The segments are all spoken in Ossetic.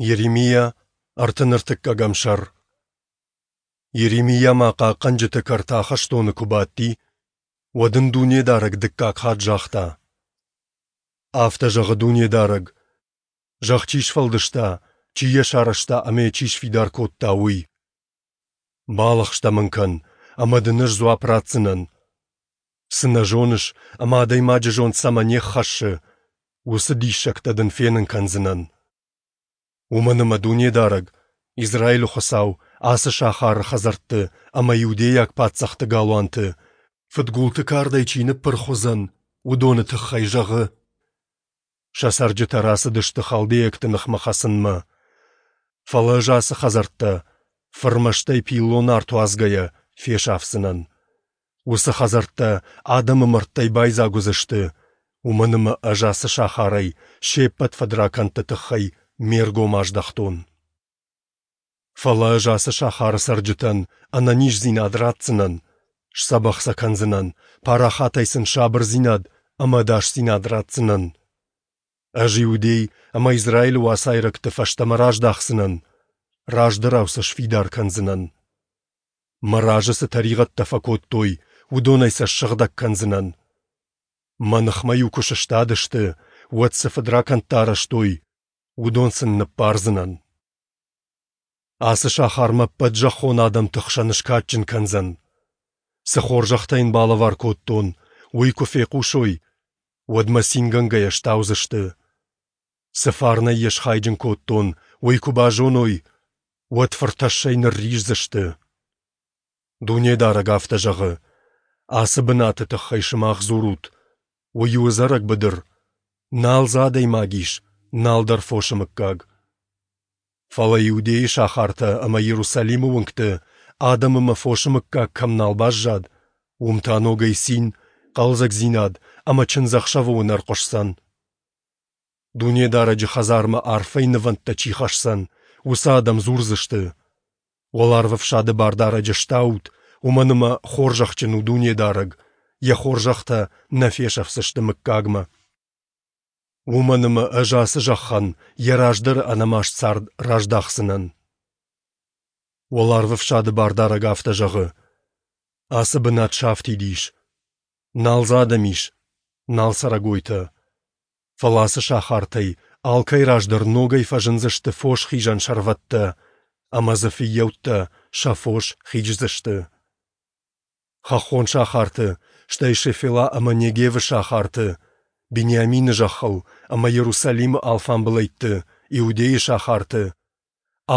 Йеремиа, 33 сӕр. Йеремиа ма хъахъхъӕнджыты кӕрты ахӕстоны куы бадти, уӕд ын Дунедарӕг дыккаг хатт загъта: Афтӕ зӕгъы Дунедарӕг, зӕхх чи сфӕлдыста, чи йӕ сарӕзта ӕмӕ йӕ чи сфидар кодта, уый. Балӕгъстӕ мын кӕн, ӕмӕ дын ӕз дзуапп ратдзынӕн. Цы нӕ зоныс ӕмӕ адӕймаджы зонд цӕмӕ не ххӕссы, уыцы диссӕгтӕ дын фенын кӕндзынӕн. Уымӕн ӕмӕ Дунедарӕг, Израилы Хуыцау, ацы сахары хӕдзӕртты ӕмӕ иудейаг паддзӕхты галуанты, фыдгулты кардӕй чи ныппырх уыдзӕн, уыдоны тыххӕй зӕгъы: Сӕ цӕрджытӕ рацыдысты халдейӕгты ныхмӕ хӕцынмӕ. Фӕлӕ ӕз ацы хӕдзӕрттӕ, фырмӕстӕй пиллон арт уадзгӕйӕ, фесафдзынӕн. Уыцы хӕдзӕрттӕ адӕмы мӕрдтӕй байдзаг уыдзысты, уымӕн ӕмӕ ӕз ацы сахарӕй се ппӕт фыдракӕндты тыххӕй ме ргом аздӕхтон. Фӕлӕ ӕз ацы сахары цӕрджытӕн ӕнӕниздзинад ратдзынӕн, сдзӕбӕх сӕ кӕндзынӕн, парахатӕй сын сабырдзинад ӕмӕ ӕдасдзинад ратдзынӕн. Ӕз Иудей ӕмӕ Израилы уацайрӕгты фӕстӕмӕ раздахдзынӕн, раздӕрау сӕ сфидар кӕндзынӕн. Мӕ разы цы тӕригъӕдтӕ фӕкодтой, уыдонӕй сӕ ссыгъдӕг кӕндзынӕн. Мӕ ныхмӕ-иу куы сыстадысты, уӕд цы фыдракӕндтӕ арӕзтой, уыдон сын ныббардзынӕн. Ацы сахар мӕ ӕппӕт зӕххон адӕмты хсӕн скадджын кӕндзӕн. Цы хорзӕхтӕ йын балӕвар кодтон, уый куы фехъусой, уӕд мӕ цингӕнгӕйӕ стаудзысты. Цы фарнӕй йӕ схайджын кодтон, уый куы базоной, уӕд фыртӕссӕй нырриздзысты. Дунедарӕг афтӕ зӕгъы: Ацы бынаты тыххӕй сымах дзурут, уый у ӕдзӕрӕг быдыр, нал дзы адӕймаг ис, нал дӕр фосы мыггаг. Фӕлӕ Иудейы сахартӕ ӕмӕ Иерусалимы уынгты адӕм ӕмӕ фосы мыггаг кӕм нал баззад, уым та ногӕй цин, хъӕлдзӕгдзинад ӕмӕ чындзӕхсӕвы уынӕр хъуысдзӕн. Дунедарӕджы хӕдзармӕ арфӕйы нывӕндтӕ чи хӕсдзӕн, уыцы адӕм дзурдзысты: Уӕларвӕфсады Бардарӕджы стаут, уымӕн ӕмӕ хорзӕхджын у Дунедарӕг, йӕ хорзӕхтӕ нӕ фесӕфдзысты мыггагмӕ. Уымӕн ӕмӕ ӕз ацы зӕххӕн йӕ раздӕры ӕнӕмаст цард раздахдзынӕн. Уӕларвӕфсады Бардарӕг афтӕ зӕгъы: Ацы бынат сафтид ис. Нал дзы адӕм ис, нал цӕрӕгойтӕ. Фӕлӕ ацы сахартӕй алкӕй раз дӕр ногӕй фӕзындзысты фосхизӕн сӕрвӕттӕ, ӕмӕ дзы фыййӕуттӕ сӕ фос хиздзысты. Хӕххон сахарты, стӕй Шефела ӕмӕ Негевы сахарты, Бениамины зӕххыл ӕмӕ Иерусалимы алфамбылӕйтты, Иудейы сахарты,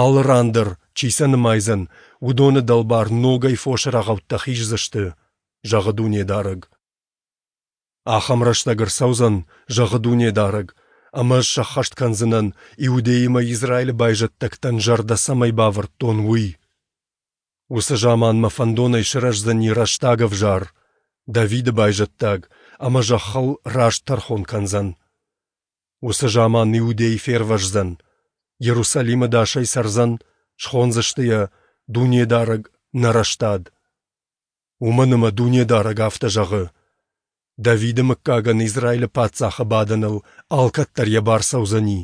алы ран дӕр, чи сӕ нымайдзӕн, уыдоны дӕлбар ногӕй фосы рӕгъӕуттӕ хиздзысты, зӕгъы Дунедарӕг. Ахӕм рӕстӕг ӕрцӕудзӕн, зӕгъы Дунедарӕг, ӕмӕ ӕз сӕххӕст кӕндзынӕн, Иудейы мӕ Израилы байзӕддӕгтӕн зӕрдӕ цӕмӕй бавӕрдтон, уый. Уыцы заман мӕ фӕндонӕй сырӕздзӕни рӕстаг ӕвзар, Давиды байзӕддаг, ӕмӕ зӕххыл раст тӕрхон кӕндзӕн. Уыцы заман Иудей фервӕздзӕн, Иерусалимы дӕсӕй цӕрдзӕн, схондзысты йӕ Дунедарӕг нӕ рӕстад. Уымӕн ӕмӕ Дунедарӕг афтӕ зӕгъы: Давиды мыггагӕн Израилы паддзахы бадӕныл алкӕддӕр йӕ бар цӕудзӕни.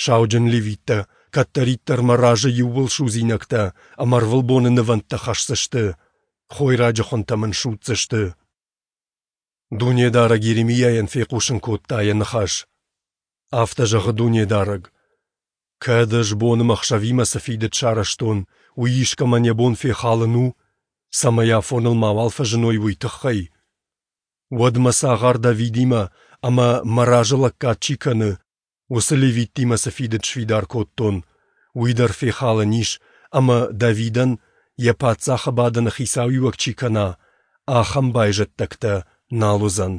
Сауджын левиттӕ кӕддӕриддӕр мӕ разы иууылсудзинӕгтӕ ӕмӕ ӕрвылбоны нывӕндтӕ хӕсдзысты, хойраджы хуынтӕ мын судздзысты. Дунедарӕг Йеремиайӕн фехъусын кодта йӕ ныхас. Афтӕ зӕгъы Дунедарӕг: Кӕд ӕз бон ӕмӕ ӕхсӕвимӕ цы фидыд сарӕзтон, уый искӕмӕн йӕ бон фехалын у, цӕмӕй афоныл мауал фӕзыной, уый тыххӕй, уӕд мӕ цагъар Давидимӕ ӕмӕ мӕ разы лӕггад чи кӕны, уыцы левиттимӕ цы фидыд сфидар кодтон, уый дӕр фехалӕн ис ӕмӕ Давидӕн йӕ паддзахы бадӕны хицауиуӕг чи кӕна, ахӕм байзӕддӕгтӕ нал уыдзӕн.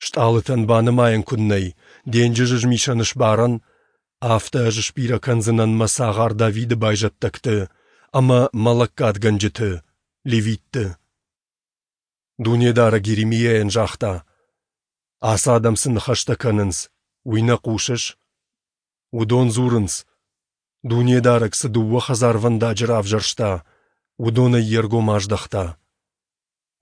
Стъалытӕн банымайӕн куыд нӕй, денджызы змисӕн сбарӕн, афтӕ ӕз сбирӕ кӕндзынӕн мӕ цагъар Давиды байзӕддӕгты ӕмӕ мӕ лӕггадгӕнджыты, левитты. Дунедарӕг Йеремиайӕн загъта: Ацы адӕм цы ныхӕстӕ кӕнынц, уый нӕ хъусыс? Уыдон дзурынц: Дунедарӕг цы дыууӕ хӕдзарвӕндаджы равзӕрста, уыдонӕй йе ргом аздӕхта.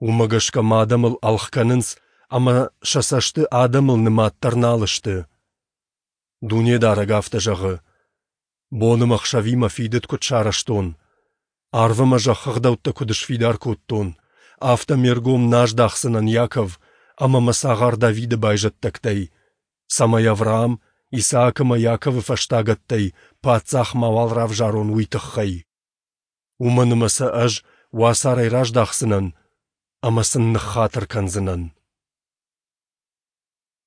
Уымӕ гӕсгӕ ма адӕмыл ӕлгъ кӕнынц ӕмӕ сӕ цӕсты адӕмыл нымад дӕр нал сты. Дунедарӕг афтӕ зӕгъы: Бон ӕмӕ ӕхсӕвимӕ фидыд куыд сарӕзтон, арв ӕмӕ зӕххы ӕгъдӕуттӕ куыд сфидар кодтон, афтӕ ме ргом нӕ аздахдзынӕн Иаков ӕмӕ мӕ цагъар Давиды байзӕддӕгтӕй, цӕмӕй Авраам, Исаак ӕмӕ Иаковы фӕстагӕттӕй паддзах мауал равзарон, уый тыххӕй. Уымӕн ӕмӕ сӕ ӕз уацарӕй раздахдзынӕн ӕмӕ сын ныххатыр кӕндзынӕн.